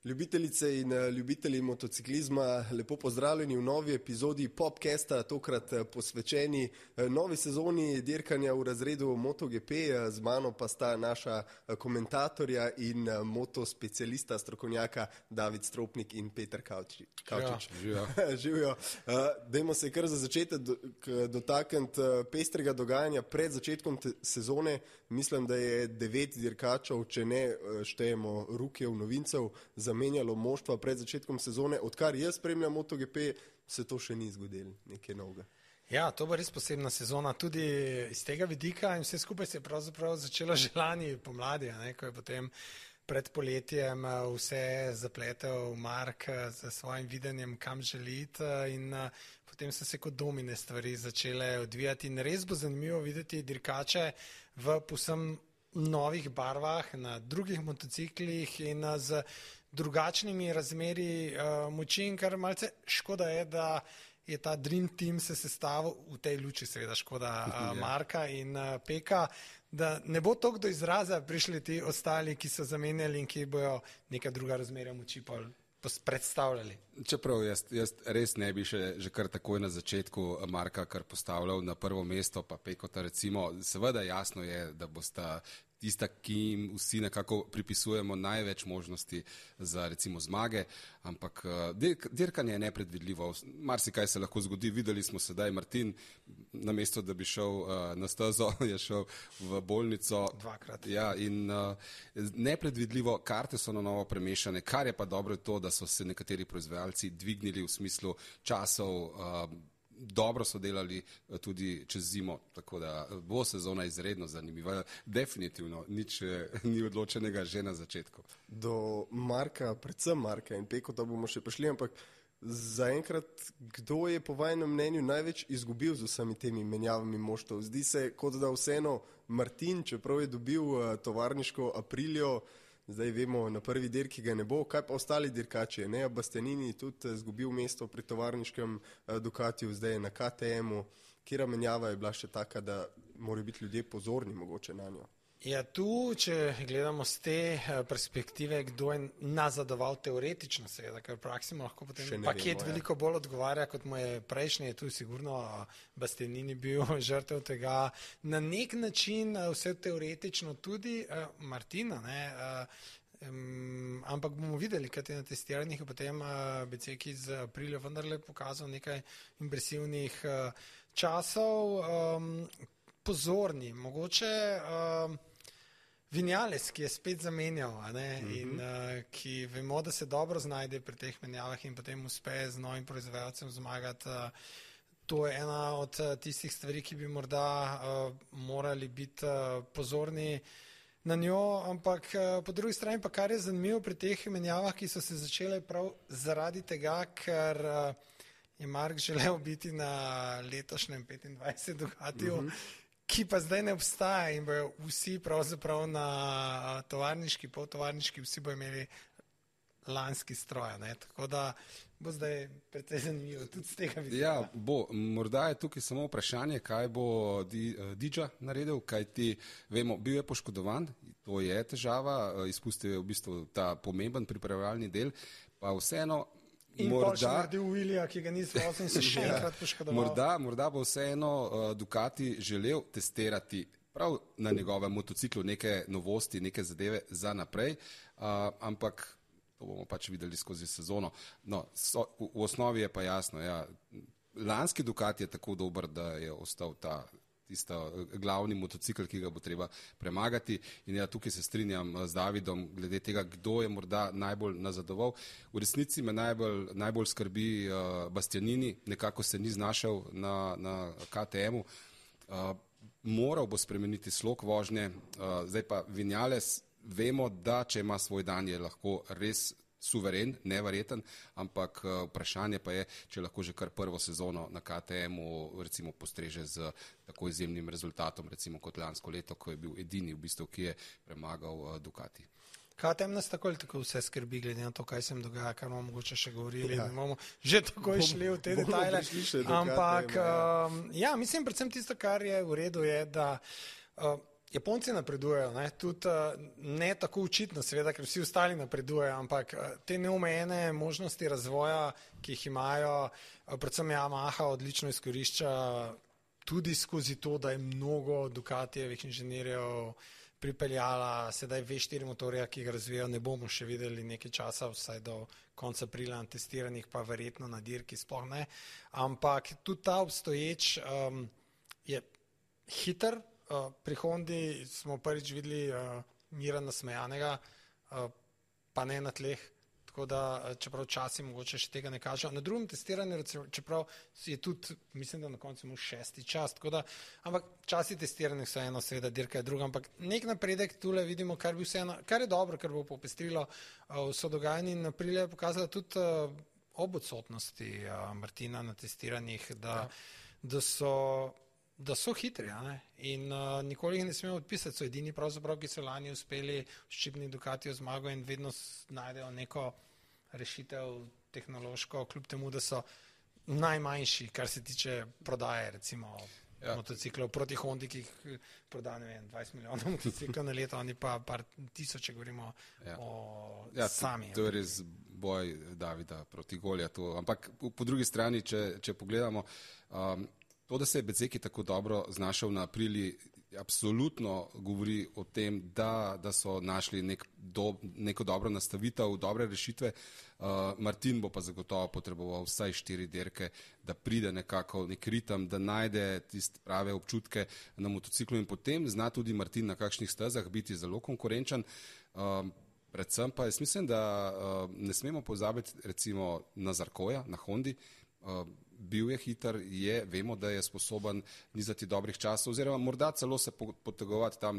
Ljubitelice in ljubitelji motociklizma, lepo pozdravljeni v novi epizodi Popcasta, tokrat posvečeni novi sezoni dirkanja v razredu MotoGP. Z mano pa sta naša komentatorja in motospecialista, strokovnjaka David Stropnik in Peter Kavčič. Živijo. Dajmo se kar za začetek dotakniti pestrega dogajanja pred začetkom sezone. Mislim, da je 9 dirkačev, če ne štejemo rukev novincev, zamenjalo moštva pred začetkom sezone. Odkar jaz spremljam MotoGP, se to še ni zgodilo, nekaj novega. Ja, to bo res posebna sezona, tudi iz tega vidika in vse skupaj se je pravzaprav začelo že lani pomladi, ko je potem pred poletjem vse zapletel Mark z svojim videnjem, kam želi iti in potem so se kot domine stvari začele odvijati in res bo zanimivo videti dirkače v povsem novih barvah, na drugih motociklih in z drugačnimi razmeri moči in kar malce škoda je, da je ta Dream Team se sestavil v tej luči, seveda škoda Marka in Peka, da ne bo toliko do izraza prišli ti ostali, ki so zamenjali in ki bojo neka druga razmerja moči predstavljali. Čeprav jaz res ne bi že kar takoj na začetku Marka kar postavljal na prvo mesto, pa Pekota recimo, seveda jasno je, da bosta tista, ki jim vsi nekako pripisujemo največ možnosti za recimo zmage, ampak dirkanje je nepredvidljivo. Marsikaj se lahko zgodi, videli smo sedaj Martin, namesto da bi šel na stezo, je šel v bolnico. Dvakrat. Ja, in nepredvidljivo, karte so na novo premešane, kar je pa dobro to, da so se nekateri proizvajalci dvignili v smislu časov, dobro so delali tudi čez zimo, tako da bo sezona izredno zanimiva. Definitivno, nič ni odločenega že na začetku. Do Marka, predvsem Marka in Pekota bomo še prišli, ampak zaenkrat, kdo je po vašem mnenju največ izgubil z vsemi temi menjavami moštov? Zdi se, kot da vseeno Martin, čeprav je dobil tovarniško Aprilio, zdaj vemo, na prvi dirki ga ne bo, kaj pa ostali dirkači? Bastianini tudi izgubil mesto pri tovarniškem Ducatiju, zdaj je na KTM-u. Kjera menjava je bila še taka, da morajo biti ljudje pozorni mogoče na njo? Ja, tu, če gledamo z te perspektive, kdo je nazadoval teoretično, seveda, ker v praksi lahko potem paket veliko bolj odgovarja, kot mu je prejšnji, je tu sigurno Bastianini bil žrtev tega. Na nek način vse teoretično tudi Martina, ampak bomo videli, kaj je na testiranjih, potem Beceki z Aprilio vendarle pokazal nekaj impresivnih časov. Pozorni, mogoče Vinales, ki je spet zamenjal in ki vemo, da se dobro znajde pri teh menjavah in potem uspe z novim proizvajalcem zmagati. To je ena od tistih stvari, ki bi morda morali biti pozorni na njo, ampak po drugi strani pa kar je zanimivo pri teh menjavah, ki so se začele prav zaradi tega, ker je Mark želel biti na letošnjem 25 Ducatiju, ki pa zdaj ne obstaja in bojo vsi pravzaprav na tovarniški, poltovarniški, vsi bojo imeli lanski stroj, tako da bo zdaj precej zanimivo tudi z tega vidika. Ja, bo. Morda je tukaj samo vprašanje, kaj bo Didža naredil, kaj ti vemo, bil je poškodovan, to je težava, izpustil je v bistvu ta pomemben pripravljalni del, pa vseeno in pa še naredil Willija, ki ga niso in se še enkrat poškodoval. Morda bo vseeno Ducati želel testirati prav na njegovem motociklu neke novosti, neke zadeve za naprej, ampak to bomo pač videli skozi sezono. No, v osnovi je pa jasno, lanski Ducati je tako dober, da je ostal tisto glavni motocikl, ki ga bo treba premagati in tukaj se strinjam z Davidom glede tega, kdo je morda najbolj nazadoval. V resnici me najbolj skrbi Bastianini, nekako se ni znašel na KTM-u, moral bo spremeniti slog vožnje, zdaj pa Vinales, vemo, da če ima svoj dan, je lahko res suveren, neverjeten, ampak vprašanje pa je, če lahko že kar prvo sezono na KTM-u recimo postreže z tako izjemnim rezultatom, recimo kot lansko leto, ko je bil edini v bistvu, ki je premagal Ducati. KTM nas tako ali tako vse skrbi, glede na to, kaj se jim dogaja, kar bomo mogoče še govorili, bomo že takoj šli v te detajle, ampak mislim predvsem tisto, kar je v redu, je, da Japonci napredujejo, ne? Tudi ne tako učitno, seveda, ker vsi ostali napredujejo, ampak te neomejene možnosti razvoja, ki jih imajo, predvsem Yamaha odlično izkorišča tudi skozi to, da je mnogo Ducatijevih inženirjev pripeljala sedaj V4 motorja, ki ga razvijajo, ne bomo še videli nekaj časa, vsaj do konca aprila na testiranjih, pa verjetno na dirki sploh ne, ampak tudi ta obstoječ je hiter. Pri Hondi smo prvič videli Mira nasmejanega, pa ne na tleh, tako da čeprav časi mogoče še tega ne kažejo. Na drugem testiranju, čeprav je tudi, mislim, da na koncu imel 6. čas, tako da, ampak časi testiranja so eno, seveda dirka je druga, ampak nek napredek tule vidimo, kar je dobro, kar bo popestrilo vso dogajanje in Aprilia je pokazala tudi ob odsotnosti Martina na testiranjih, da so hitri, in nikoli jih ne smemo odpisati, so edini pravzaprav, ki so lani uspeli ščipni Ducatijo zmago in vedno najdejo neko rešitev tehnološko, kljub temu, da so najmanjši, kar se tiče prodaje, recimo motociklov proti Hondi, ki jih proda, ne vem, 20 milijonov motociklov na leto, oni pa par tisoče, govorimo o sami. To je res boj Davida proti Goljatu, ampak po drugi strani, če pogledamo, to, da se je Bezzecchi tako dobro znašel na Apriliji, absolutno govori o tem, da so našli neko dobro nastavitev, dobre rešitve. Martin bo pa zagotovo potreboval vsaj 4 dirke, da pride nekako nek ritem, da najde tiste prave občutke na motociklu in potem zna tudi Martin na kakšnih stezah biti zelo konkurenčen. Predvsem pa jaz mislim, da ne smemo pozabiti recimo na Zarcoja, na Hondi. Bil je hiter, vemo, da je sposoben nizati dobrih časov, oziroma morda celo se potegovati tam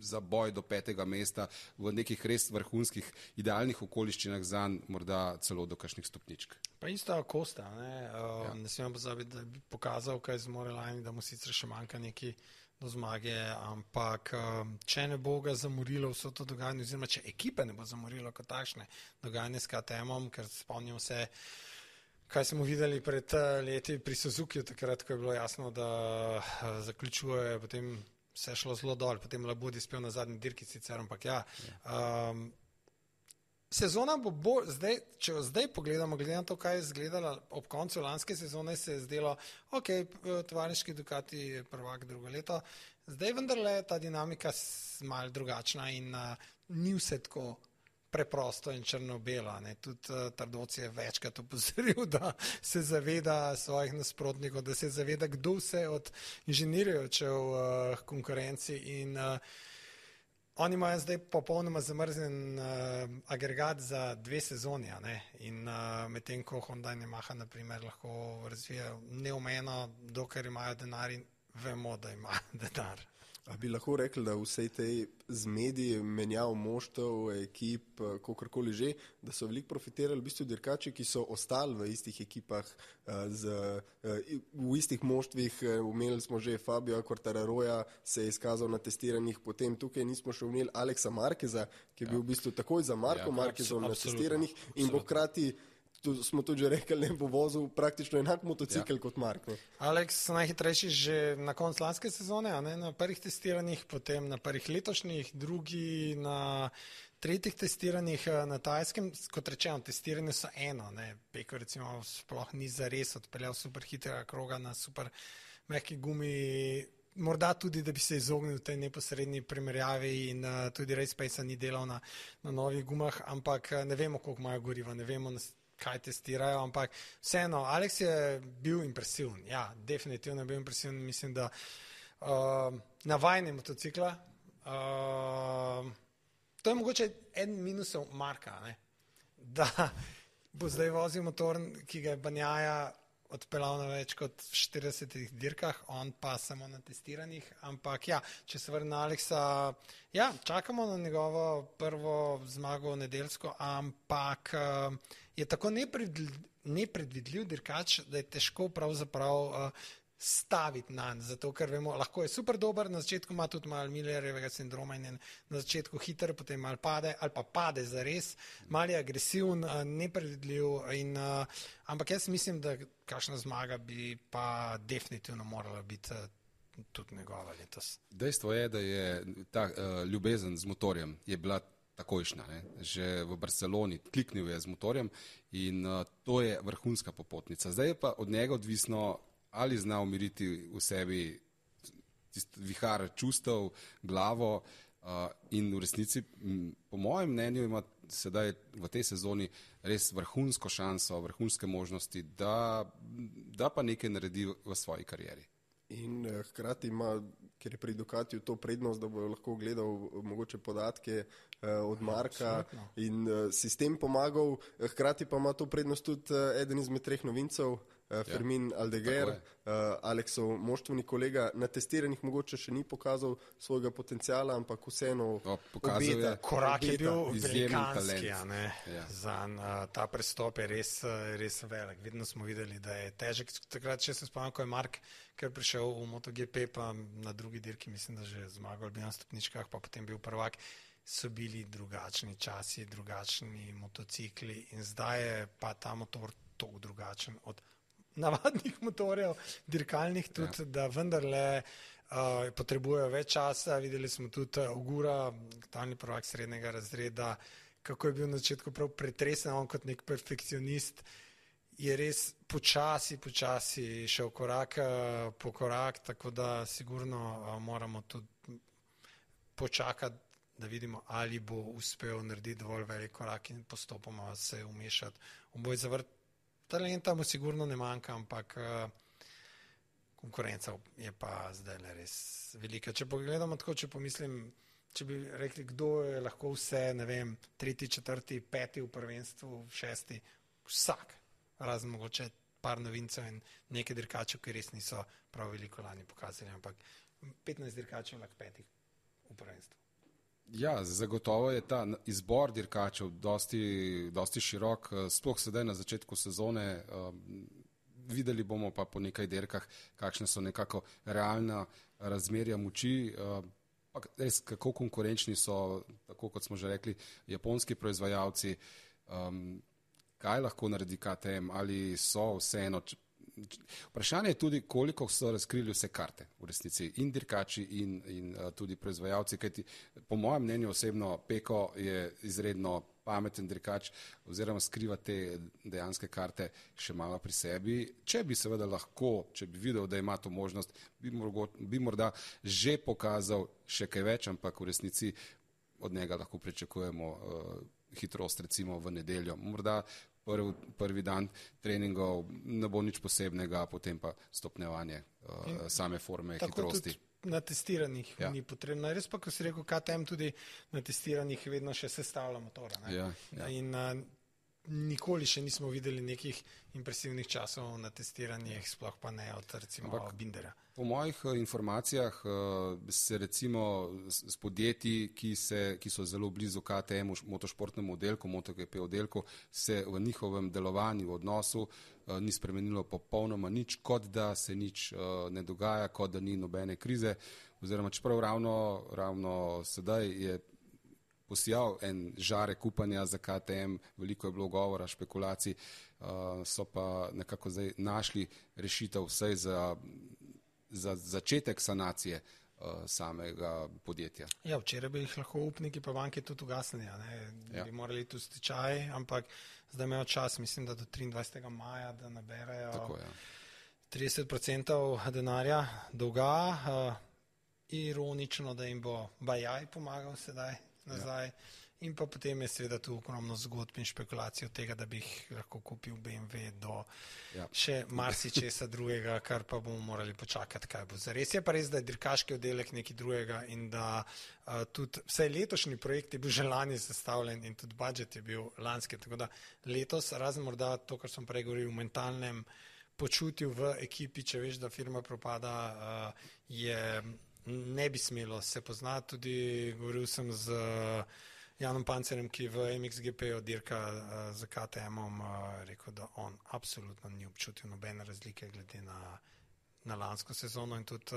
za boj do 5. mesta v nekih res vrhunskih idealnih okoliščinah zanj, morda celo do kakšnih stopničk. Pa isto Costa, ne smemo pozabiti, da bi pokazal, kaj zmore lani, da mu sicer še manjka neki do zmage, ampak če ne bo ga zamorilo vso to dogajanje, oziroma če ekipe ne bo zamorilo kot takšne dogajanje s KTM-om, ker spomnimo se, kaj smo videli pred leti pri Suzukiju, takrat, ko je bilo jasno, da zaključuje, potem se je šlo zelo dol, potem Labudi spel na zadnji dirki sicer, ampak sezona bo zdaj, če zdaj pogledamo, glede na to, kaj je izgledala ob koncu lanske sezone, se je zdelo, tovariški Ducati je prvak drugo leto, zdaj vendarle ta dinamika malo drugačna in ni vse tako preprosto in črno-belo. Tudi Tardoci je večkrat opozoril, da se zaveda svojih nasprotnikov, da se zaveda, kdo vse od inženirjev v konkurenci in oni imajo zdaj popolnoma zamrznjen agregat za 2 sezoni in medtem ko Honda in Yamaha naprimer lahko razvijajo neomejeno, dokler imajo denar in vemo, da imajo denar. A bi lahko rekli, da vsej tej zmedi menjav moštev, ekip, kakorkoli že, da so veliko profitirali v bistvu dirkači, ki so ostali v istih ekipah, v istih moštvih. Imeli smo že Fabio Quartararoja, se je izkazal na testiranjih, potem tukaj nismo še imeli Alexa Marqueza, ki je bil v bistvu takoj za Marko Marquezom na testiranjih in bo hkrati, smo tudi že rekli, ne bo vozil praktično enak motocikl kot Mark. Alex najhitrejši že na koncu lanske sezone, na prvih testiranjih, potem na prvih letošnjih, drugi na 3. testiranjih na Tajskem. Kot rečeno, testiranje so eno, Peko recimo sploh ni zares odpeljal super hitrega kroga na super mehki gumi, morda tudi, da bi se izognil tej neposrednji primerjavi in tudi Race Pace ni delal na novih gumah, ampak ne vemo, koliko imajo goriva, ne vemo, kaj testirajo, ampak vseeno, Alex je bil impresiven, definitivno je bil impresiven, mislim, da navajanje motocikla, to je mogoče en minusov Marka, da bo zdaj vozil motor, ki ga je Banjaja odpeljal na več kot 40 dirkah, on pa samo na testiranjih, ampak če se vrne na Alexa, čakamo na njegovo prvo zmago nedeljsko, ampak je tako nepredvidljiv dirkač, da je težko pravzaprav staviti nanj, zato ker vemo, lahko je super dober, na začetku ima tudi malo Millerjevega sindroma in na začetku hiter, potem malo pade, ali pa pade zares, malo je agresiven, nepredvidljiv, ampak jaz mislim, da kakšna zmaga bi pa definitivno morala biti tudi njegova letos. Dejstvo je, da je ta ljubezen z motorjem je bila takojšnja. Ne? Že v Barceloni kliknil je z motorjem in to je vrhunska popotnica. Zdaj je pa od njega odvisno, ali zna umiriti v sebi vihar čustev, glavo in v resnici, po mojem mnenju, ima sedaj v tej sezoni res vrhunsko šanso, vrhunske možnosti, da pa nekaj naredi v svoji karieri. In hkrati ima, ker je pri Ducatiju to prednost, da bo lahko gledal mogoče podatke od Marka in sistem pomagal, hkrati pa ima to prednost tudi eden izmed treh novincev, Fermin Aldeguer, Aleksov moštveni kolega, na testiranjih mogoče še ni pokazal svojega potencijala, ampak vseeno obeta. Korak je bil velikanski, ta prestop je res velik. Vedno smo videli, da je težek. Takrat, če se spomnim, ko je Mark kar prišel v MotoGP, pa na drugi dirki, mislim, da že zmagal bi na stopničkah, pa potem bil prvak, so bili drugačni časi, drugačni motocikli in zdaj je pa ta motor toliko drugačen od navadnih motorjev, dirkalnih tudi, da vendarle potrebujejo več časa. Videli smo tudi Ogura, aktualni prvak srednjega razreda, kako je bil na začetku prav pretresen, on kot nek perfekcionist je res počasi šel korak po korak, tako da sigurno moramo tudi počakati, da vidimo, ali bo uspel narediti dovolj velik korak in postopoma se umešati v boj za vrt. Talenta mu sigurno ne manjka, ampak konkurenca je pa zdaj res velika. Če pogledamo tako, če pomislim, če bi rekli, kdo je lahko vse, ne vem, 3., 4., 5. v prvenstvu, 6., vsak, razen mogoče par novincev in nekaj dirkačev, ki res niso prav veliko lani pokazali, ampak 15 dirkačev lahko 5. v prvenstvu. Ja, zagotovo je ta izbor dirkačev dosti širok, sploh sedaj na začetku sezone. Videli bomo pa po nekaj dirkah, kakšne so nekako realna razmerja moči, pa res kako konkurenčni so, tako kot smo že rekli, japonski proizvajalci, kaj lahko naredi KTM, ali so vseeno. Vprašanje je tudi, koliko so razkrili vse karte v resnici, in dirkači in tudi proizvajalci, kajti po mojem mnenju osebno Peko je izredno pameten dirkač oziroma skriva te dejanske karte še malo pri sebi. Če bi seveda lahko, če bi videl, da ima to možnost, bi morda že pokazal še kaj več, ampak v resnici od njega lahko pričakujemo hitrost recimo v nedeljo. Morda prvi dan treningov ne bo nič posebnega, potem pa stopnjevanje same forme, hitrosti. Na testiranjih ni potrebno. Res pa, ko si rekel, KTM tudi na testiranjih vedno še sestavlja motora. In nikoli še nismo videli nekih impresivnih časov na testiranjih, sploh pa ne od recimo Bindera. Po mojih informacijah se recimo s podjetji, ki so zelo blizu KTM-u, motošportnemu oddelku, MotoGP oddelku, se v njihovem delovanju, v odnosu ni spremenilo popolnoma nič, kot da se nič ne dogaja, kot da ni nobene krize, oziroma čeprav ravno sedaj je posijal en žarek upanja za KTM, veliko je bilo govora, špekulacij, so pa nekako zdaj našli rešitev vsaj za začetek sanacije samega podjetja. Ja, včeraj bi jih lahko upniki pa banke tudi ugasnili, bi morali tu stečaj, ampak zdaj imajo čas, mislim, da do 23. maja, da naberajo 30% denarja dolga. Ironično, da jim bo Bajaj pomagal sedaj nazaj. In pa potem je seveda tu ogromno zgodb in špekulacij od tega, da bi jih lahko kupil BMW do še marsičesa drugega, kar pa bomo morali počakati, kaj bo. Zares je pa res, da je dirkaški oddelek nekaj drugega in da tudi vsaj letošnji projekt je bil že lani sestavljen in tudi budžet je bil lanski. Tako da letos, razen morda to, kar sem prej govoril, v mentalnem počutju v ekipi, če veš, da firma propada, ne bi smelo se poznati. Tudi govoril sem z Janom Pancerjem, ki v MXGP dirka z KTM-om, rekel, da on absolutno ni občutil nobene razlike glede na lansko sezono in tudi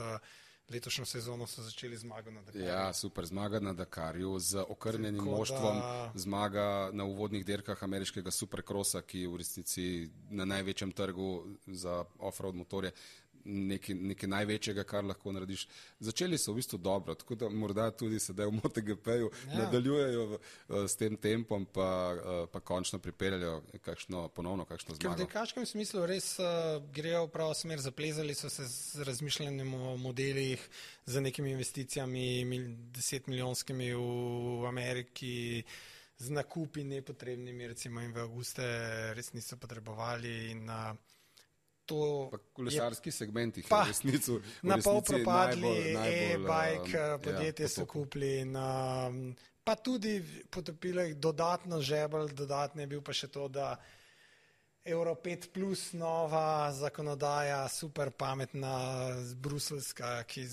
letošnjo sezono so začeli zmago na Dakarju. Ja, super, zmaga na Dakarju z okrnjenim moštvom, zmaga na uvodnih dirkah ameriškega supercrossa, ki je v resnici na največjem trgu za off-road motorje nekaj največjega, kar lahko narediš. Začeli so v bistvu dobro, tako da morda tudi sedaj v MotoGP-ju nadaljujejo s tem tempom, pa končno pripeljajo ponovno kakšno zmago. V dirkaškem smislu res grejo v pravo smer, zaplezali so se z razmišljanjem o modelih, z nekimi investicijami 10 milijonskimi v Ameriki, z nakupi nepotrebnimi, recimo in v avguste res niso potrebovali in to pa kolesarski segment jih pa je v resnici na pol propadli, najbolj podjetje so kupili in pa tudi potopili dodatno žebelj, dodatno je bil pa še to, da Euro 5 plus nova zakonodaja, super pametna, bruselska, ki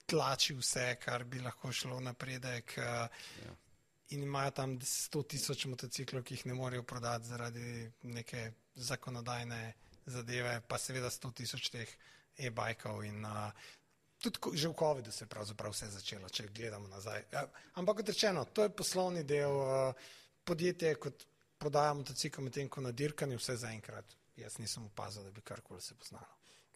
tlači vse, kar bi lahko šlo napredek. In imajo tam 100,000 motociklov, ki jih ne morejo prodati zaradi neke zakonodajne zadeve, pa seveda 100,000 teh e-bajkov in tudi že v COVID-u se je pravzaprav vse začelo, če gledamo nazaj. Ampak kot rečeno, to je poslovni del podjetje, kot prodaja motocikl, medtem ko na dirkanju vse zaenkrat. Jaz nisem opazil, da bi karkoli se poznalo.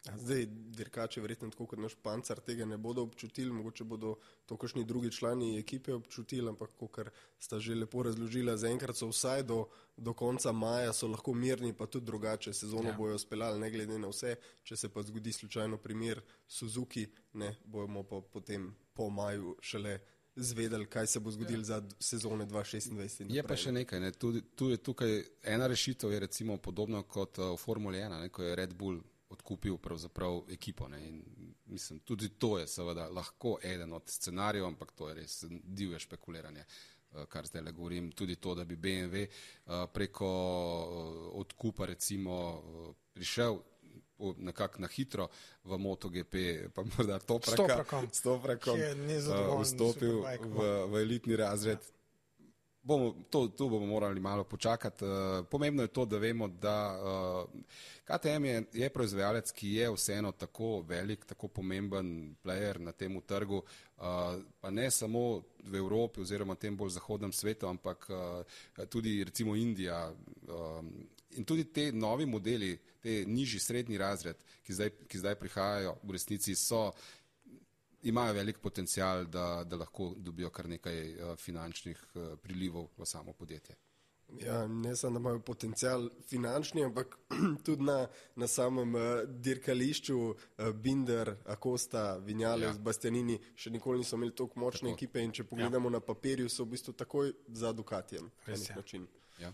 Zdaj, dirkači verjetno tako kot naš Pancar tega ne bodo občutili, mogoče bodo to kakšni drugi člani ekipe občutili, ampak kakor sta že lepo razložila, zaenkrat so vsaj do konca maja so lahko mirni, pa tudi drugače sezono bojo speljali, ne glede na vse, če se pa zgodi slučajno primer Suzuki, ne, bomo pa potem po maju šele zvedeli, kaj se bo zgodilo za sezone 2026. Je pa še nekaj, tukaj ena rešitev je recimo podobno kot v Formuli 1, ko je Red Bull odkupil pravzaprav ekipo. Ne? In mislim, tudi to je seveda lahko eden od scenarijev, ampak to je res divje špekuliranje, kar zdaj le govorim. Tudi to, da bi BMW preko odkupa recimo prišel nekako na hitro v MotoGP, pa morda Toprakom vstopil v elitni razred. Tu bomo morali malo počakati. Pomembno je to, da vemo, da KTM je proizvajalec, ki je vseeno tako velik, tako pomemben player na tem trgu, pa ne samo v Evropi oziroma tem bolj zahodnem svetu, ampak tudi recimo Indija. In tudi te novi modeli, te nižji srednji razred, ki zdaj prihajajo, v resnici imajo velik potencial, da lahko dobijo kar nekaj finančnih prilivov v samo podjetje. Ja, ne samo, da imajo potencial finančni, ampak tudi na samem dirkališču Binder, Acosta, Vinales, Bastianini še nikoli niso imeli toliko močne ekipe in če pogledamo na papirju, so v bistvu takoj za Ducatijem na nek način. Ja.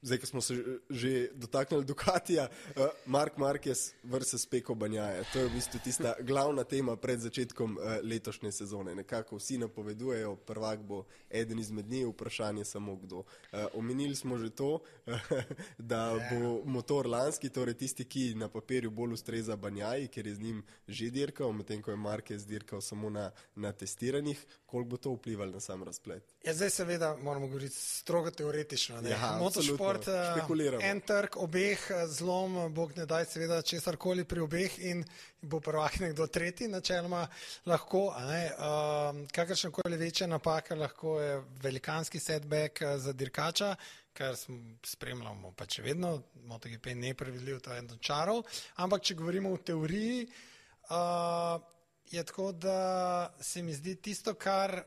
Zdaj, ko smo se že dotaknili Ducatija, Marc Marquez versus Pecco Bagnaia. To je v bistvu tista glavna tema pred začetkom letošnje sezone. Nekako vsi napovedujejo, prvak bo eden izmed njih, vprašanje samo kdo. Omenili smo že to, da bo motor lanski, torej tisti, ki na papirju bolj ustreza Bagnaii, ker je z njim že dirkal, medtem ko je Marquez dirkal samo na testiranjih. Koliko bo to vplivalo na sam razplet? Ja, zdaj seveda moramo govoriti strogo teoretično. Ja, motošport, en trg obeh, zlom, bog ne daj seveda česarkoli pri obeh in bo prvak nekdo tretji, načeloma lahko. Kakršnakoli večja napaka lahko je velikanski setback za dirkača, kar spremljamo pa če vedno, MotoGP je neprevidljiv, to je eno čarov, ampak če govorimo v teoriji, je tako, da se mi zdi tisto, kar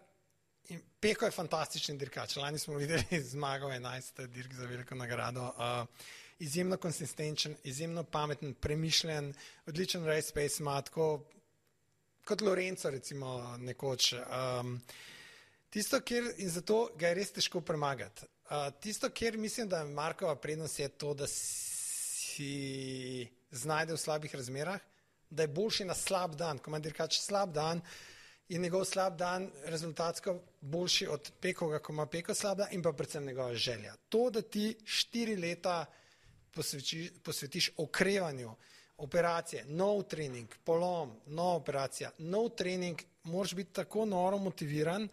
Pecco je fantastičen dirkač. Lani smo videli zmagal 11 dirk za veliko nagrado. Izjemno konsistenčen, izjemno pameten, premišljen, odličen race pace ima, tako kot Lorenzo recimo nekoč. Tisto, in zato ga je res težko premagati. Tisto, kjer mislim, da Markova prednost je to, da si znajde v slabih razmerah, da je boljši na slab dan. Ko ima dirkač slab dan, je njegov slab dan rezultatsko boljši od Peccoga, ko ima Pecco slab dan in pa predvsem njegova želja. To, da ti 4 leta posvetiš okrevanju, operacije, nov trening, polom, nova operacija, nov trening, moraš biti tako noro motiviran,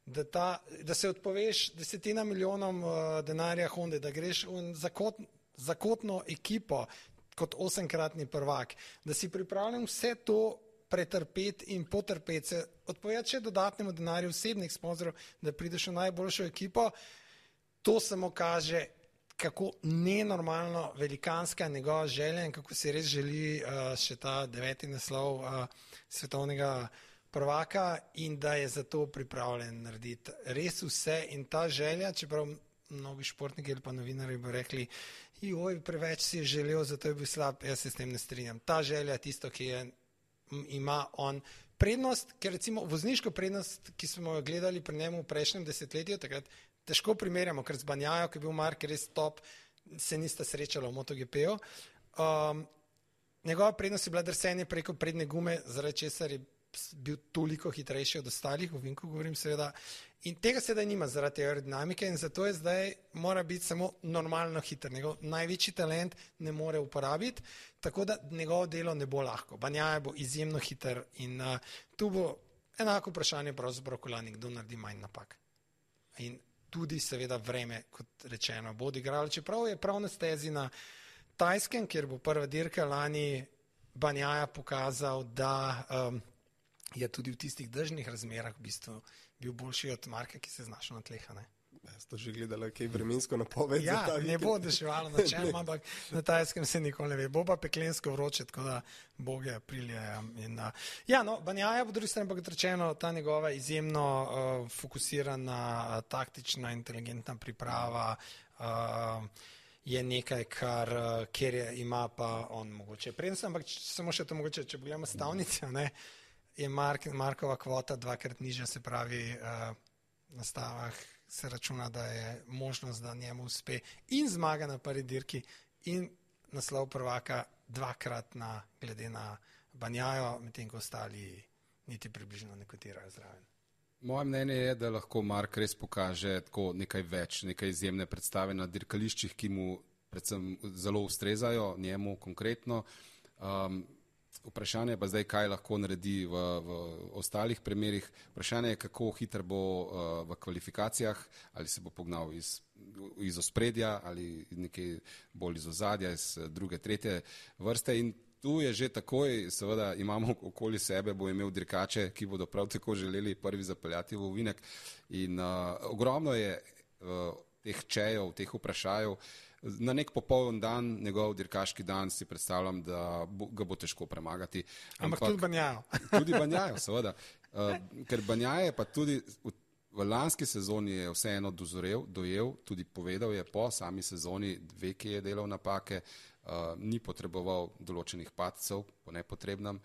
da se odpoveš 10 milijonom denarja Honda, da greš v zakotno ekipo kot 8-kratni prvak, da si pripravljen vse to pretrpeti in potrpeti se, odpovedati še dodatnemu denarju osebnih sponzorov, da prideš v najboljšo ekipo, to samo kaže, kako nenormalno velikanska njegova želja in kako si res želi še ta 9. naslov svetovnega prvaka in da je za to pripravljen narediti res vse in ta želja, čeprav mnogi športniki ali pa novinarji bi rekli, joj, preveč si je želel, zato je bil slab, jaz se s tem ne strinjam. Ta želja je tisto, ki ima on prednost, ker recimo vozniško prednost, ki smo jo gledali pri njemu v prejšnjem desetletju, takrat težko primerjamo, ker z Banjajo, ki je bil Mark res top, se nista srečala v MotoGP-u. Njegova prednost je bila drsenje preko prednje gume, zaradi česar je bil toliko hitrejši od ostalih, v Vinku govorim seveda, in tega sedaj nima zaradi aerodinamike in zato je zdaj mora biti samo normalno hiter. Njegov največji talent ne more uporabiti, tako da njegovo delo ne bo lahko. Banjaja bo izjemno hiter in tu bo enako vprašanje pravzaprav kolani, kdo naredi manj napak. In tudi seveda vreme, kot rečeno, bo odigralo, čeprav je prav na stezi na Tajskem, kjer bo prva dirka lani Banjaja pokazal, da je tudi v tistih dežnih razmerah v bistvu bil boljši od Marka, ki se je znašel na tleh. Ste že gledali kaj vremensko napoved? Ja, ne bo deševalo na čem, ampak na Tajskem se nikoli ne ve. Bo pa peklensko vroče, tako da boge aprilje. Banjaja bo drugi strani, kot rečeno, ta njegova izjemno fokusirana, taktična, inteligentna priprava je nekaj, kjer ima pa on mogoče prednost, ampak samo še to mogoče, če pogledamo stavnice, je Markova kvota dvakrat nižja, se pravi na stavah se računa, da je možnost, da njemu uspe in zmaga na prvi dirki in naslov prvaka dvakratna glede na Banjajo, medtem ko ostali niti približno ne kotirajo zraven. Moje mnenje je, da lahko Mark res pokaže tako nekaj več, nekaj izjemne predstave na dirkališčih, ki mu predvsem zelo ustrezajo, njemu konkretno. Vprašanje je pa zdaj, kaj lahko naredi v ostalih primerih. Vprašanje je, kako hiter bo v kvalifikacijah, ali se bo pognal iz ospredja ali nekaj bolj iz ozadja, iz druge, tretje vrste. In tu je že takoj, seveda imamo okoli sebe, bo imel dirkače, ki bodo prav tako želeli prvi zapeljati v ovinek. In ogromno je teh čejev, teh vprašajev. Na nek popoln dan, njegov dirkaški dan, si predstavljam, da ga bo težko premagati. Ampak tudi Banjajo. Tudi Banjajo, seveda. Ker Banjaje pa tudi v lanski sezoni je vseeno dojel, tudi povedal je po sami sezoni, ve, ki je delal napake, ni potreboval določenih padcev po nepotrebnem.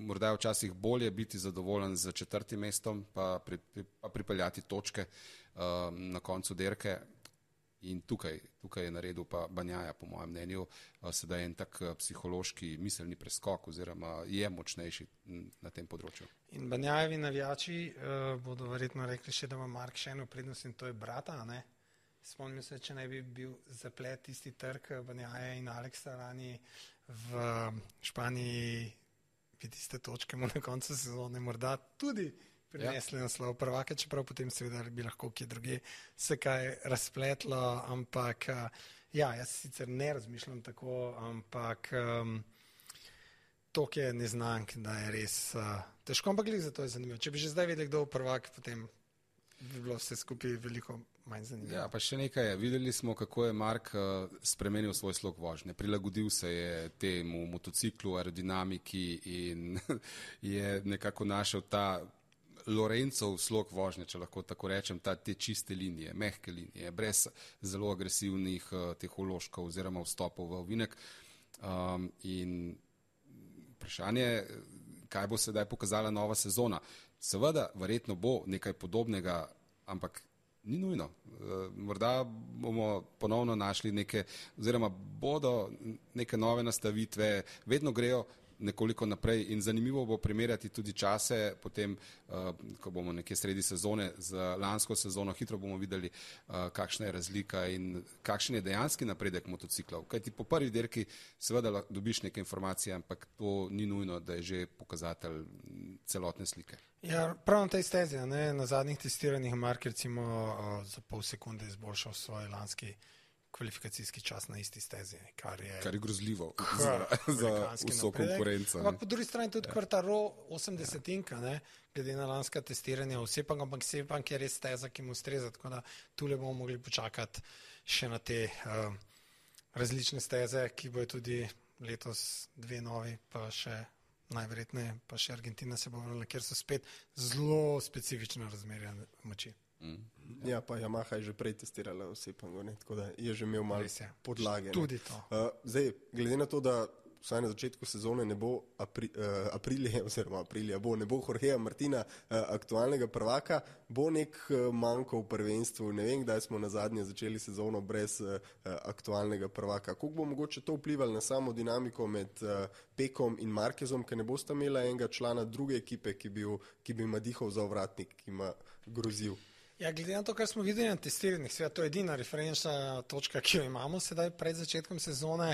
Morda je včasih bolje biti zadovoljen z 4. mestom, pa pripeljati točke na koncu dirke. In tukaj je naredil pa Banjaja, po mojem mnenju, sedaj en tak psihološki miselni preskok oziroma je močnejši na tem področju. In Banjajevi navijači bodo verjetno rekli še, da ima Mark še eno prednost in to je brata, ne? Spomnim se, če ne bi bil zaplet tisti trk Banjaje in Aleksa lani v Španiji, bi tiste točke mu na koncu sezone morda tudi prinesli naslov prvaka, čeprav potem seveda bi lahko kje druge se kaj razpletlo, ampak jaz sicer ne razmišljam tako, ampak toliko je neznank, da je res težko, ampak zato je zanimivo. Če bi že zdaj vedeli, kdo je prvak, potem bi bilo vse skupaj veliko manj zanimivo. Ja, pa še nekaj je. Videli smo, kako je Mark spremenil svoj slog vožnje. Prilagodil se je temu motociklu, aerodinamiki in je nekako našel ta Lorencov slog vožnje, če lahko tako rečem, te čiste linije, mehke linije, brez zelo agresivnih teh vložkov oziroma vstopov v ovinek. In vprašanje je, kaj bo sedaj pokazala nova sezona. Seveda, verjetno bo nekaj podobnega, ampak ni nujno. Morda bomo ponovno našli oziroma bodo neke nove nastavitve, vedno grejo nekoliko naprej in zanimivo bo primerjati tudi čase, potem, ko bomo nekje sredi sezone z lansko sezono, hitro bomo videli, kakšna je razlika in kakšen je dejanski napredek motociklov. Kajti po prvi dirki seveda dobiš neke informacije, ampak to ni nujno, da je že pokazatelj celotne slike. Ja, prav na tej stezi, na zadnjih testiranjih Mark recimo za pol sekunde izboljšal svoj lanski kvalifikacijski čas na isti stezi, kar je grozljivo za vso konkurenco. Ampak po drugi strani tudi Quartaro 80-inka, glede na lanska testiranja, ampak Sepang je res steza, ki mu ustreza, tako da tule bomo mogli počakati še na te različne steze, ki bojo tudi letos 2 novi, pa še najverjetneje, pa še Argentina se bo vrnila, kjer so spet zelo specifična razmerja moči. Ja, pa Yamaha je že prej testirala v Sepangu, tako da je že imel malo podlage. Tudi to. Zdaj, glede na to, da vsaj na začetku sezone ne bo Aprilija, ne bo Jorgeja Martina, aktualnega prvaka, bo nek manjko v prvenstvu. Ne vem, kdaj smo nazadnje začeli sezono brez aktualnega prvaka. Kako bo mogoče to vplivalo na samo dinamiko med Pekom in Marquezom, ker ne bosta imela enega člana druge ekipe, ki bi ima dihal za ovratnik, ki ima grozil? Ja, glede na to, kar smo videli na testiranjih, seveda to je edina referenčna točka, ki jo imamo sedaj pred začetkom sezone,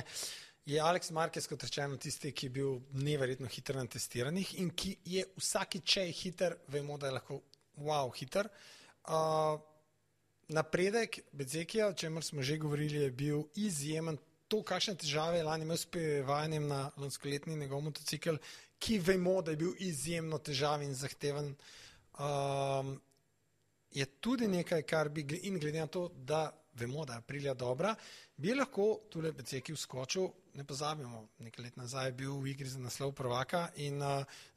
je Alex Marquez, kot rečeno, tisti, ki je bil neverjetno hiter na testiranjih in ki je vsakič, če je hiter, vemo, da je lahko hiter. Napredek Bezekija, o čemer smo že govorili, je bil izjemen. To, kakšne težave je lani imel s prevajanjem na lanskoletni njegov motocikl, ki vemo, da je bil izjemno težaven in zahteven, je tudi nekaj, kar bi, in glede na to, da vemo, da je Aprilia dobra, bi lahko tule Bezeki vskočil, ne pozabimo, nekaj let nazaj je bil v igri za naslov prvaka in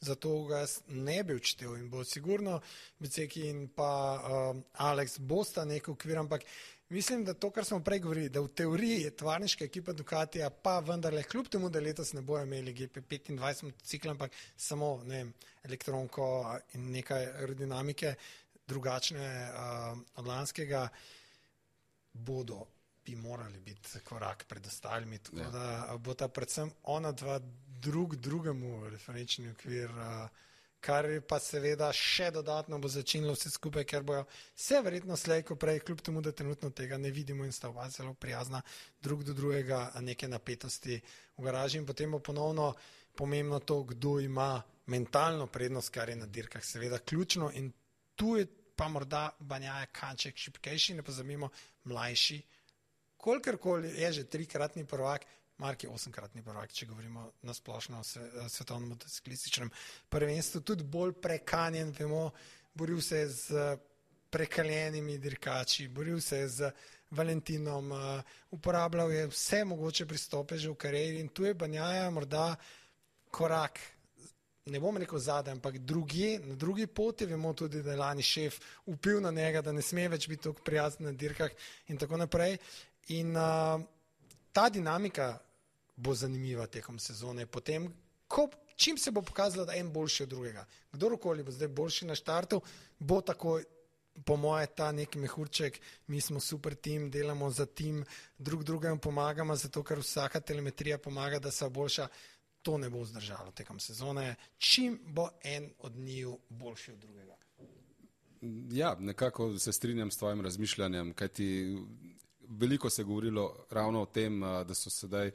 zato ga ne bi odštel in bo sigurno Bezeki in pa Alex bosta nek okvir, ampak mislim, da to, kar smo prej govorili, da v teoriji je tovarniška ekipa Ducatija, pa vendarle kljub temu, da letos ne bojo imeli GP25 motocikla, ampak samo, ne vem, elektronko in nekaj aerodinamike, drugačne od lanskega, bi morali biti korak pred ostalimi, tako da bo ta predvsem ona dva drugemu referenčni okvir, kar pa seveda še dodatno bo začinilo vse skupaj, ker bojo vse verjetno slej, ko prej, kljub temu, da trenutno tega ne vidimo in sta oba zelo prijazna drug do drugega, neke napetosti v garaži in potem bo ponovno pomembno to, kdo ima mentalno prednost, kar je na dirkah seveda ključno in tu je pa morda Banjaja kanček šipkejši, ne pozabimo, mlajši, kolikorkoli je že 3-kratni prvak, Mark je 8-kratni prvak, če govorimo na splošno o svetovnem motociklističnem prvenstvu, tudi bolj prekanjen, vemo, boril se z prekaljenimi dirkači, boril se z Valentinom, uporabljal je vse mogoče pristope že v karieri in tu je Banjaja morda korak, ne bom rekel zadaj, ampak na drugi poti, vemo tudi, da je lani šef vpil na njega, da ne sme več biti tako prijazen na dirkah in tako naprej. In ta dinamika bo zanimiva tekom sezone. Potem, čim se bo pokazalo, da en boljši od drugega. Kdorkoli bo zdaj boljši na štartu, bo takoj, po moje, ta neki mehurček, mi smo super tim, delamo za tim, drugemu pomagamo, zato ker vsaka telemetrija pomaga, da se boljša. To ne bo vzdržalo tekom sezone, čim bo en od njiju boljši od drugega. Ja, nekako se strinjam s tvojim razmišljanjem, kajti veliko se je govorilo ravno o tem, da so sedaj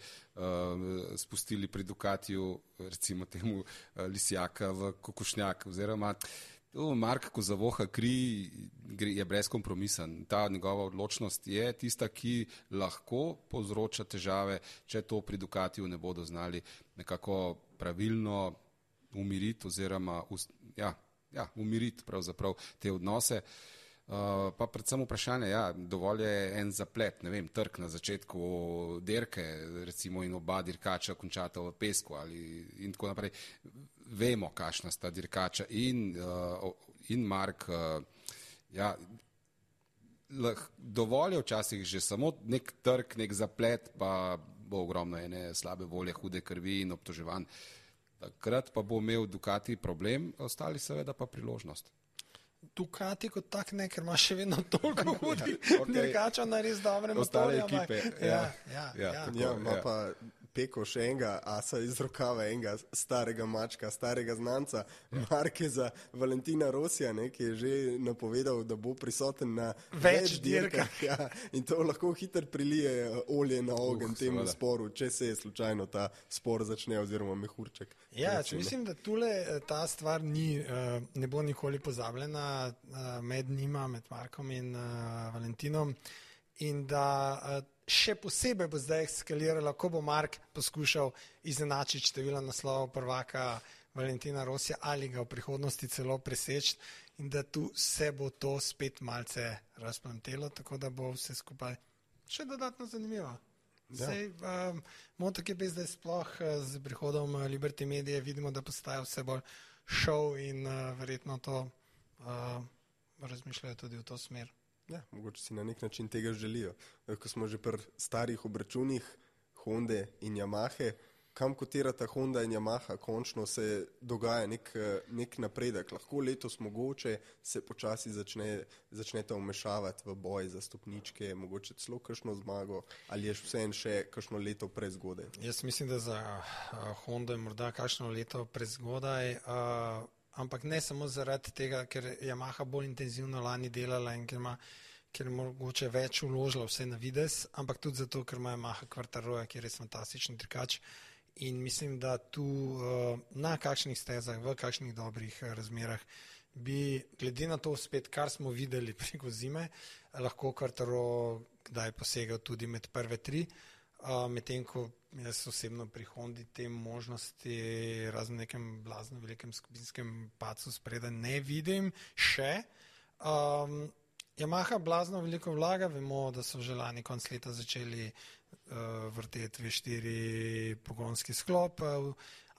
spustili pri Ducatiju, recimo temu lisjaka v kokošnjak, oziroma Mark, ko zavoha kri, je brezkompromisen. Ta njegova odločnost je tista, ki lahko povzroča težave, če to pri Ducatiju ne bodo znali nekako pravilno umiriti oziroma umiriti pravzaprav te odnose. Pa predvsem vprašanje, dovolj je en zaplet, ne vem, trk na začetku dirke, recimo in oba dirkača končata v pesku in tako naprej. Vemo, kakšna sta dirkača in Mark, dovolj je včasih že samo nek trk, nek zaplet, pa bo ogromno ene slabe volje, hude krvi in obtoževanj. Takrat pa bo imel Ducati problem, ostali seveda pa priložnost. Ducati kot tak ne, ker ima še vedno toliko hudih dirkača na res dobrem motorju. Ostale ekipe. Ima pa Peko še enega asa iz rokava, enega starega mačka, starega znanca, Marqueza, Valentina Rosija, ki je že napovedal, da bo prisoten na več dirkah. In to lahko hitro prilije olje na ogenj temu sporu, če se je slučajno ta spor začne oziroma mehurček. Mislim, da tule ta stvar ne bo nikoli pozabljena med njima, med Markom in Valentinom. in da še posebej bo zdaj eskaliralo, ko bo Mark poskušal izenačiti število naslovov prvaka Valentina Rosija ali ga v prihodnosti celo preseči in da tu se bo to spet malce razplamtelo, tako da bo vse skupaj še dodatno zanimivo. MotoGP zdaj sploh z prihodom Liberty Media vidimo, da postaja vse bolj šov in verjetno to razmišljajo tudi v to smer. Ja, mogoče si na nek način tega želijo. Ko smo že pri starih obračunih Honde in Yamahe, kam kotirata Honda in Yamaha, končno se dogaja nek napredek. Lahko letos mogoče se počasi začneta vmešavati v boj za stopničke, mogoče celo kakšno zmago, ali je vseeno še kakšno leto prezgodaj? Jaz mislim, da za Honda je morda kakšno leto prezgodaj, ampak ne samo zaradi tega, ker je Yamaha bolj intenzivno lani delala in ker je mogoče več vložila vse na vides, ampak tudi zato, ker ima Yamaha Quartararoja, ki je res fantastičen dirkač. In mislim, da tu na kakšnih stezah, v kakšnih dobrih razmerah bi, glede na to spet, kar smo videli preko zime, lahko Quartararo kdaj posegal tudi med prve tri, medtem ko jaz osebno pri Hondi te možnosti razen nekem blazno velikem skupinskem padcu spredaj ne vidim še. Yamaha blazno veliko vlaga, vemo, da so že lani konc leta začeli vrteti V4 pogonski sklop,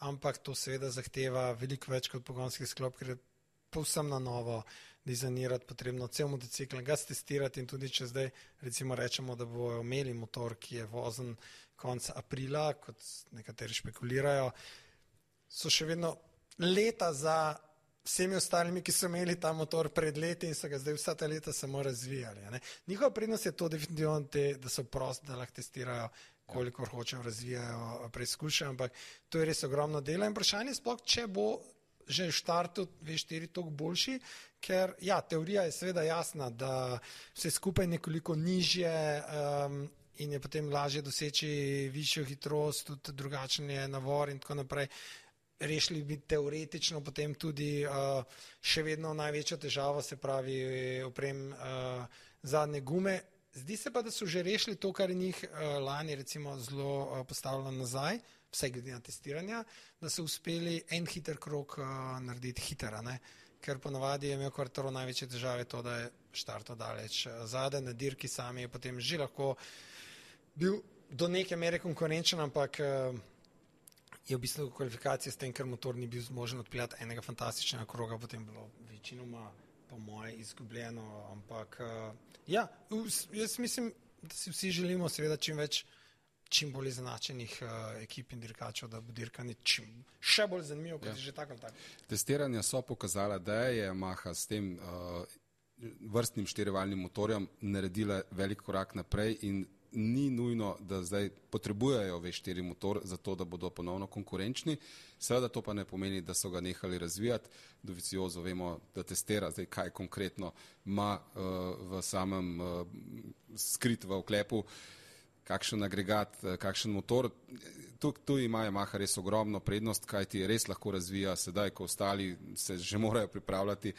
ampak to seveda zahteva veliko več kot pogonski sklop, ker je povsem na novo dizajnirati potrebno cel motocikl, ga testirati in tudi če zdaj recimo rečemo, da bojo imeli motor, ki je vozen konc aprila, kot nekateri špekulirajo, so še vedno leta za vsemi ostalimi, ki so imeli ta motor pred leti in so ga zdaj vsa ta leta samo razvijali. Njihova prednost je to definitivno, da so prosti, da lahko testirajo, kolikor hočejo, razvijajo, preizkušajo, ampak to je res ogromno dela in vprašanje sploh, če bo že v štartu V4 toliko boljši, ker ja, teorija je seveda jasna, da vse skupaj nekoliko nižje in je potem lažje doseči višjo hitrost, tudi drugačen je navor in tako naprej. Rešili bi teoretično potem tudi še vedno največjo težavo, se pravi oprem zadnje gume. Zdi se pa, da so že rešili to, kar je njih lani recimo zelo postavljalo nazaj, vsaj glede na testiranja, da so uspeli en hiter krog narediti hitera, ker ponavadi je imel Quartararo največje težave to, da je štartal daleč zadaj, na dirki sami je potem že lahko bil do neke mere konkurenčen, ampak je v bistvu kvalifikacija s tem, ker motor ni bil zmožen odpeljati enega fantastičnega kroga, potem bilo večinoma po moje izgubljeno, ampak ja, jaz mislim, da si vsi želimo seveda čim bolj izenačenih ekip in dirkačev, da bo dirkanje še bolj zanimivo, kot je že tako ali tako. Testiranja so pokazala, da je Yamaha s tem vrstnim štirivaljnim motorjem naredila velik korak naprej in ni nujno, da zdaj potrebujejo V4 motor za to, da bodo ponovno konkurenčni. Seveda to pa ne pomeni, da so ga nehali razvijati. Dovizioso vemo, da testira zdaj, kaj konkretno ima v samem skrit v oklepu, kakšen agregat, kakšen motor. Tu ima Yamaha res ogromno prednost, kaj ti res lahko razvija sedaj, ko ostali se že morajo pripravljati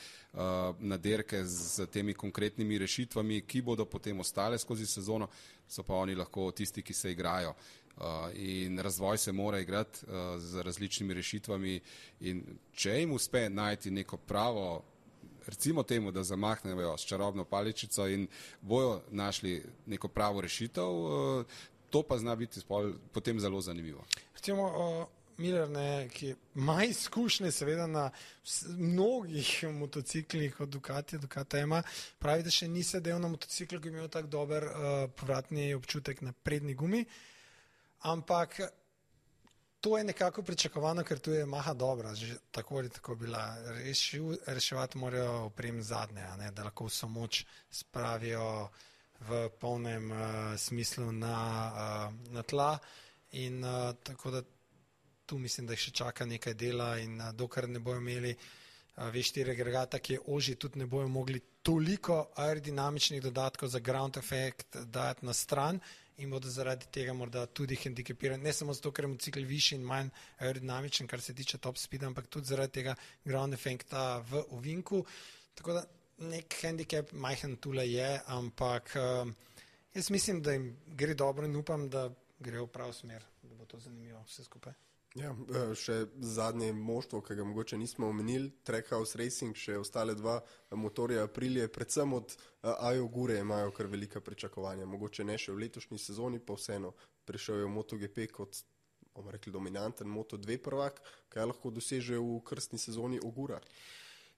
na dirke z temi konkretnimi rešitvami, ki bodo potem ostale skozi sezono, so pa oni lahko tisti, ki se igrajo. In razvoj se mora igrati z različnimi rešitvami in če jim uspe najti neko pravo, recimo temu, da zamahnejo s čarobno paličico in bojo našli neko pravo rešitev, to pa zna biti potem zelo zanimivo. Recimo Miller, ki ima izkušnje seveda na mnogih motociklih od Ducati ima, pravi, da še ni sedel na motociklu, ki je imel tak dober povratni občutek na prednji gumi, ampak to je nekako pričakovano, ker tu je Yamaha dobra, že tako ali tako bila. Reševati morajo oprem zadnje, da lahko vso moč spravijo v polnem smislu na tla in tako da tu mislim, da jih še čaka nekaj dela in dokler ne bojo imeli V4 agregata, ki je ožji, tudi ne bojo mogli toliko aerodinamičnih dodatkov za ground effect dati na stran in bodo zaradi tega morda tudi hendikepirani, ne samo zato, ker je motocikl višji in manj aerodinamičen, kar se tiče top speeda, ampak tudi zaradi tega ground effecta v ovinku, tako da nek handicap majhen tule je, ampak Jaz mislim, da jim gre dobro in upam, da grejo v prav smer, da bo to zanimivo vse skupaj. Ja, še zadnje moštvo, ki ga mogoče nismo omenili, Trackhouse Racing, še ostale dva motorja Aprilia, predvsem od Ajo Gure imajo kar velika pričakovanja. Mogoče ne še v letošnji sezoni, pa vseeno prišel je v MotoGP kot, bomo rekli, dominanten Moto2 prvak, kaj lahko doseže v krstni sezoni Ogura.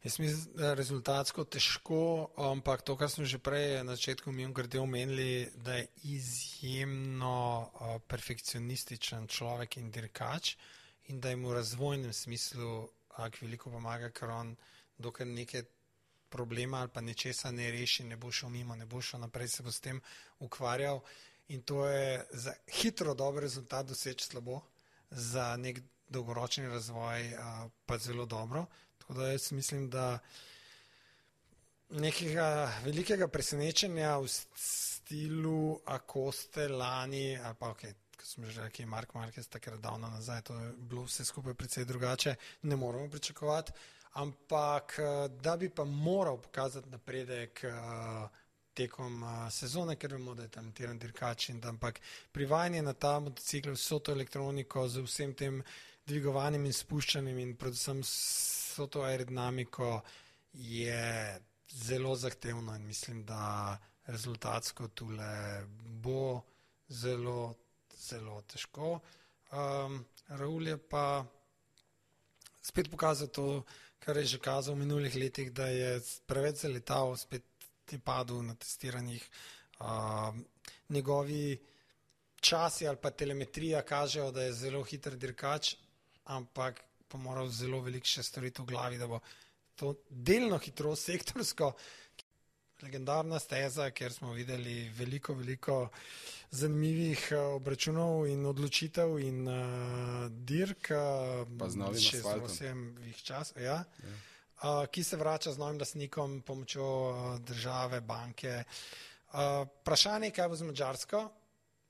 Jaz mislim, da rezultatsko težko, ampak to, kar smo že prej na začetku mimogrede omenili, da je izjemno perfekcionističen človek in dirkač in da jim v razvojnem smislu veliko pomaga, ker on dokaj neke problema ali pa nečesa ne reši, ne bo šel mimo, ne bo šel naprej, se bo s tem ukvarjal in to je za hitro dober rezultat doseči slabo, za nek dolgoročni razvoj pa zelo dobro. Tako da jaz mislim, da nekega velikega presenečenja v stilu Acoste lani, ali pa ok, kot smo že rekli, Mark Marquez takrat davno nazaj, to je bilo vse skupaj precej drugače, ne moramo pričakovati, ampak da bi pa moral pokazati napredek tekom sezone, ker vemo, da je talentiran dirkač in da ampak privajanje na ta motocikl, vso to elektroniko z vsem tem dvigovanjem in spuščanjem in predvsem vso to aerodinamiko je zelo zahtevno in mislim, da rezultatsko tule bo zelo, zelo težko. Raul je pa spet pokazal to, kar je že kazal v minulih letih, da je preveč zaletal, spet je padel na testiranjih. Njegovi časi ali pa telemetrija kažejo, da je zelo hiter dirkač, ampak pa moral zelo veliko še storiti v glavi, da bo to delno hitrost sektorsko, legendarna steza, kjer smo videli veliko zanimivih obračunov in odločitev in dirk, pa z novim asfaltom. Ki se vrača z novim lastnikom, pomočjo države, banke. Vprašanje, kaj bo z Madžarsko?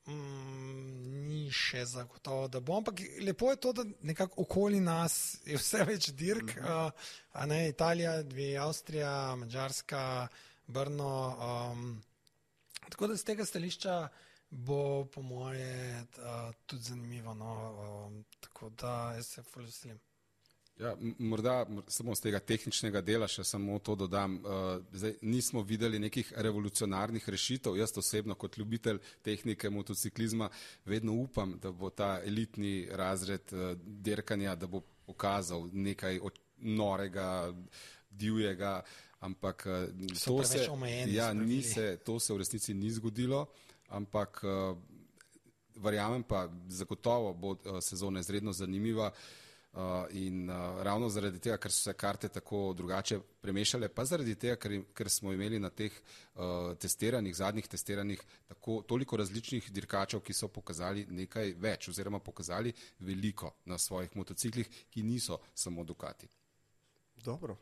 Ni še zagotovo, da bo, ampak lepo je to, da nekako okoli nas je vse več dirk, Italija, dve Avstrija, Madžarska, Brno, tako da z tega stališča bo po moje tudi zanimivo, tako da jaz se ful veselim. Ja, morda samo z tega tehničnega dela še samo to dodam. Zdaj, nismo videli nekih revolucionarnih rešitev. Jaz osebno kot ljubitelj tehnike motociklizma vedno upam, da bo ta elitni razred dirkanja, da bo pokazal nekaj norega, divjega, ampak to se v resnici ni zgodilo, ampak verjamem pa, zagotovo bo sezona izredno zanimiva. In ravno zaradi tega, ker so se karte tako drugače premešale, pa zaradi tega, ker smo imeli na teh zadnjih testiranih toliko različnih dirkačev, ki so pokazali nekaj več oziroma pokazali veliko na svojih motociklih, ki niso samo Ducati. Dobro.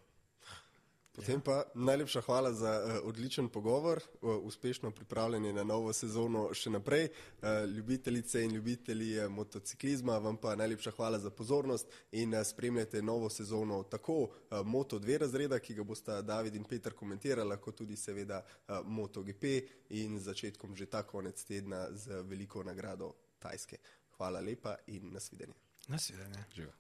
Potem pa najlepša hvala za odličen pogovor, uspešno pripravljanje na novo sezono še naprej. Ljubitelice in ljubitelji motociklizma, vam pa najlepša hvala za pozornost in spremljate novo sezono tako Moto2 razreda, ki ga bosta David in Peter komentirala, kot tudi seveda MotoGP in začetkom že ta konec tedna z veliko nagrado Tajske. Hvala lepa in nasvidenje. Nasvidenje. Živa.